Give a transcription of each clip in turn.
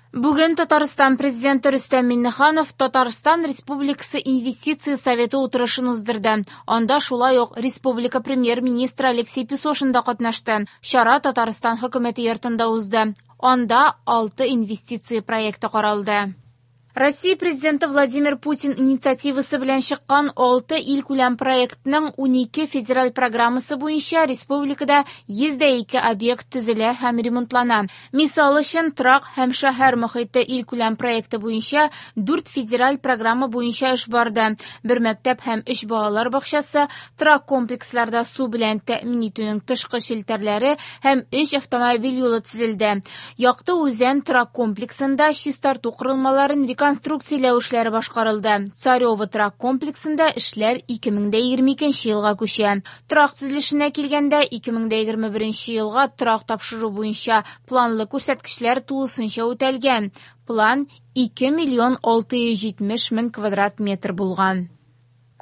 Бүген Татарстан Президенты Рөстәм Миңнеханов Татарстан Республикасы Инвестиция советы утырышын уздырды. Анда шулай ук республика Премьер-министры Алексей Песошин да катнашты. Чара Татарстан Хөкүмәте йортында узды. Анда 6 инвестиция проекты каралды. Россия Президенты Владимир Путин инициативасы белән чыккан 6 илкүләм проектның 12 федераль программасы буенча республикада 102 объект төзелә һәм ремонтлана. Мисал өчен, торак һәм шәһәр мохите илкүләм проекты буенча 4 федераль программа буенча эш барды. Бер мәктәп һәм 3 балалар бакчасы, торак комплексларда су белән тәэмин итүнең тышкы челтәрләре һәм 3 автомобиль юлы төзелде. Якты Үзән торак комплексында чистарту корылмаларын реконструкцияләү эшләре башкарылды. Царево торак комплексында эшләр 2022 елга күчә. Торак төзелешенә килгәндә, 2021 елга торак тапшыру буенча планлы күрсәткечләр тулысынча үтәлгән. План 2 миллион 670 мең квадрат метр булган.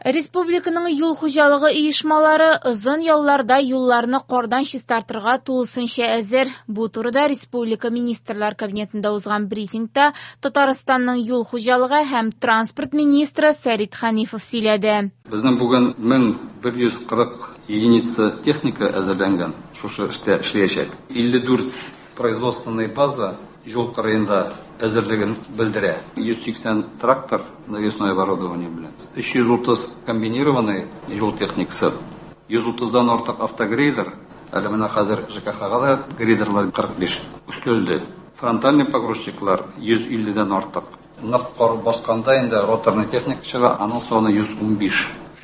Республиканың юл хуҗалыгы оешмалары озын ялларда юлларны кардан чистартырга тулысынча әзер. Бу турыда Республика Министрлар Кабинетында узган брифингта Татарстанның юл хуҗалыгы һәм транспорт министры Фәрит Ханифов сөйләде. Безнең бүген 1140 единица техника әзерләнгән, шушы эштә эшләячәк. 54 производственный база юл кырыенда әзерлеген белдерә. 180 трактор навесное оборудование белән, 330 комбинированный юл техникасы, 130-дан артык автогрейдер, әле менә хәзер ЖКХ-га да грейдерлар 45 өстәлде. Фронтальный погрузчиклар 150-дән артык. Нык кар басканда инде роторный техника чыга, аның саны 115.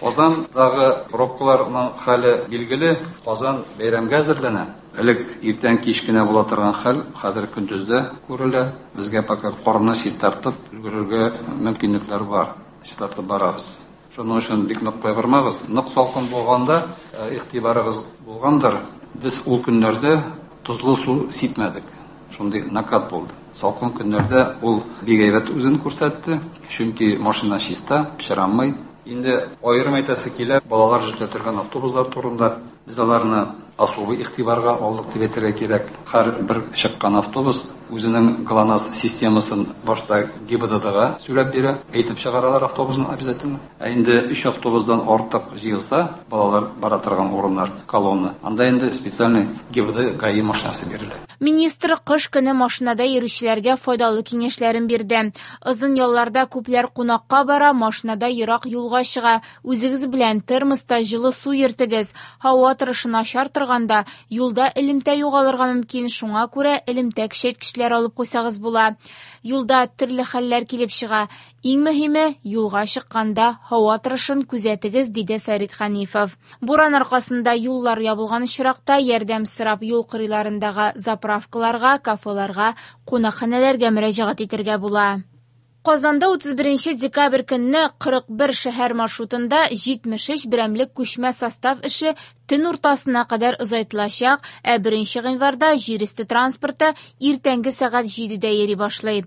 Казандагы пробкаларның хәле билгеле, Казан бәйрәмгә әзерләнә. Элек иртән кич кенә була торган хәл хәзер көндез дә күрелә. Безгә пока карны чистартып өлгерергә мөмкинлекләр бар. Чистартып барабыз. Шуның өчен бик нык кайгырмагыз. Нык салкын булганда игътибарыгыз булгандыр. Без ул көннәрдә тозлы су сипмәдек. Шундый накат булды. Салкын көннәрдә ул бик әйбәт үзен күрсәтте. Чөнки машина чиста, пычранмый. Инде аерым әйтәсе килә, балалар йөртә торган автобуслар турында. Без аларны особый игътибарга алдык дип әйтергә кирәк. Һәр бер чыккан автобус үзенең ГЛОНАСС системасын башта ГИБДДга сөйләп бирә, әйтеп чыгаралар автобусны обязательно. Ә инде 3 автобусдан артык җыелса, балалар бара торган урыннар, колонна, анда инде специальный ГИБДД ГАИ машинасы бирелә. Министр кыш көне машинада йөрүчеләргә файдалы киңәшләрен бирде. Озын ялларда күпләр кунакка бара, машинада ерак юлга чыга. Үзегез белән термоста җылы су йөртегез. Һава торышы начар торганда юлда элемтә югалырга мөмкин, шуңа күрә элемтә көчәйткечләр алып куйсагыз була. Юлда төрле хәлләр килеп чыга. Иң мөһиме, юлга чыкканда һава торышын күзәтегез, диде Фәрит Ханифов. Буран аркасында юллар ябылган очракта ярдәм сорап юл кырыйларындагы заправкаларга, кафеларга, кунакханәләргә мөрәҗәгать итәргә була. Казанда 31 декабрь көнне 41 шәһәр маршрутында 73 берәмлек күчмә состав эше төн уртасына кадәр озайтылачак, ә 1 гыйнварда җир өсте транспорты иртәнге сәгать 7-дә йөри башлый.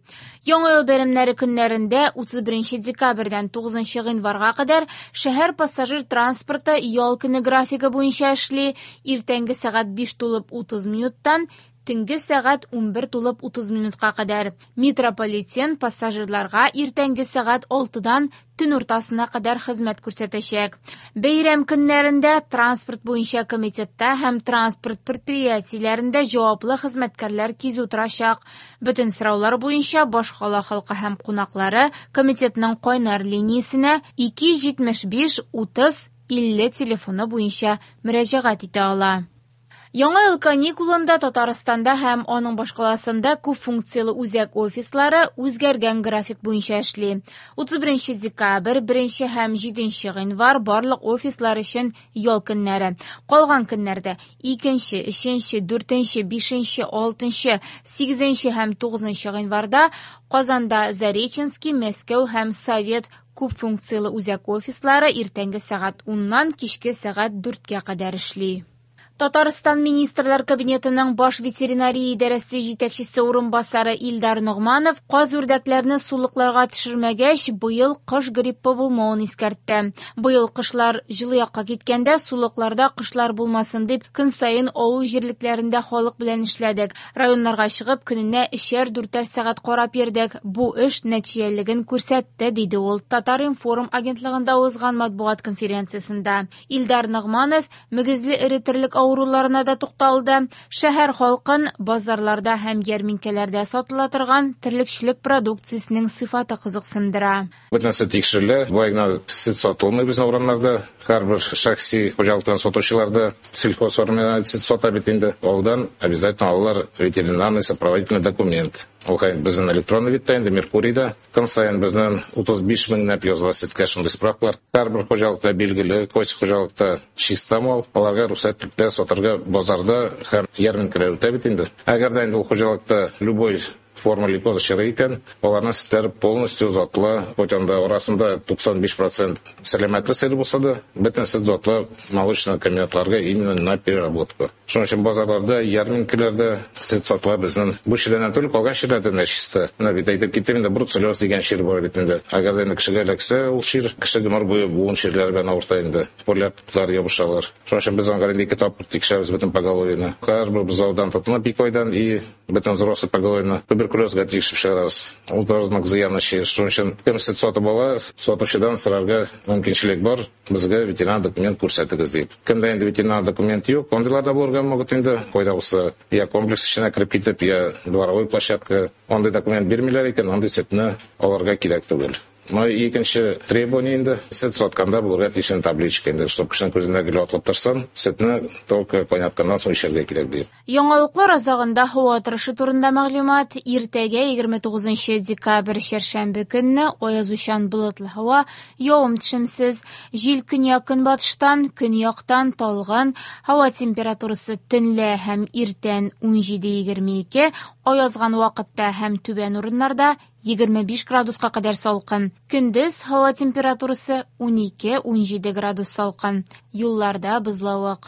Яңа ел бәйрәмнәре көннәрендә 31 декабрьдән 9 гыйнварга кадәр шәһәр пассажир транспорты ял көне графигы буенча эшли, иртәнге сәгать 5:30 минуттан төнге сәгать 11:30 минутка кадәр. Метрополитен пассажирларга иртәнге сәгать 6-дан төн уртасына кадәр хезмәт күрсәтәчәк. Бәйрәм көннәрендә транспорт буенча комитетта һәм транспорт предприятиеләрендә җаваплы хезмәткәрләр кизү торачак. Бөтен сораулар буенча башкала халкы һәм кунаклары комитетның кайнар линиясенә 275 30 50 телефоны буенча мөрәҗәгать итә ала. Яңа ел каникулында Татарстанда һәм аның башкаласында күп функцияле үзәк офислары үзгәргән график буенча эшли. 31 декабрь, 1 һәм 7 гыйнвар барлык офислар өчен ял көннәре. Калган көннәрдә 2, 3, 4, 5, 6, 8 һәм 9 гыйнварда Казанда Зареченский, Мәскәү һәм Совет күп функцияле үзәк офислары иртәнге сәгать 10-нан кичке сәгать 4-кә кадәр эшли. Татарстан Министрлар Кабинетының Баш ветеринария идарәсе җитәкчесе урынбасары Илдар Ногманов каз-үрдәкләрне сулыкларга төшермәгәч, быел кош гриппы булмавын искәртте. Быел кошлар җылы якка киткәндә сулыкларда кошлар булмасын дип, көн саен авыл җирлекләрендә халык белән эшләдек. Районнарга чыгып, көненә өчәр-дүртәр сәгать карап йөрдек. Бу эш нәтиҗәлелеген күрсәтте, диде ул Татар-информ агентлыгында узган матбугат конференциясендә. Илдар Ногманов мөгезле эре терлек авыруларына да тукталды. Шәһәр халкын базарларда һәм ярминкәләрдә сатыла торган терлекчелек продукциясенең сыйфаты кызыксындыра. Бөтен нәрсә тикшерелә. Болай гына сөт сатылмый безнең урамнарда. Һәрбер шәхси хуҗалыктан сатучылар да сельхозформа сөт сата бит инде. Алдан обязательно алалар ветеринарный сопроводительный документ. Ул безнең электронный видта инде, Меркурийда. Көн саен безнең 35 меңләп языла сөткә шундый справкалар. Һәрбер хуҗалыкта билгеле, кайсы хуҗалыкта чиста мал, аларга рөхсәт ителә сатырга базарда һәм ярминкәләр үтә бит инде. Әгәр дә инде ул хуҗалыкта любой форма лейкоза чыгы икән, аларның сөтләре полностью затлы, хоть анда арасында 95% сәламәтле сыер булса да, бөтен сөт затлы молочный комбинатларга именно на переработку. Шуның өчен базарларда, ярминкәләрдә сөт сатыла безнең. Бу чирләрдән түгел, калган чирләрдән дә чиста. Менә бит әйтеп киттем инде, бруцеллез дигән чир бар бит инде. Әгәр дә инде кешегә эләксә ул чир, кеше гомер буе буын чирләре белән авырта инде. Полиартрит ябышалар. Шуның өчен без аңа инде ике тапкыр тикшерәбез бөтен поголовьены. Һәрбер бозаудан тотынып ике айдан и бөтен взрослый поголовьены туберкулезга тикшереп чыгарабыз. Ул тоже нык зыянлы чир. Шуның өчен кем сөт сатып ала, сатучыдан сорарга мөмкинчелек бар, безгә ветеринар документ күрсәтегез дип. Кемдә инде ветеринар документ юк, андыйлар да булырга могут инде. Кайда булса, я комплекс эченә кереп китеп, я дворовой площадка, андый документ бирмиләр икән, андый сөтне алырга кирәк түгел. Но икенче требование инде, сөт сатканда булырга тиеш табличка инде, чтоб кешенең күзенә гел атылып торсын, сөтне только кайнатканнан соң эчәргә кирәк дип. Яңалыклар азагында һава торышы турында мәгълүмат. Иртәгә 29 декабрь чәршәмбе көнне аязучан болытлы һава, явым-төшемсез, җил көньяк-көнбатыштан, көньяктан талгын, һава температурасы төнлә һәм иртән 17-22, аязган вакытта һәм түбән урыннарда 25 градуска кадәр салкын. Көндез һава температурасы 12-17 градус салкын. Юлларда бозлавык.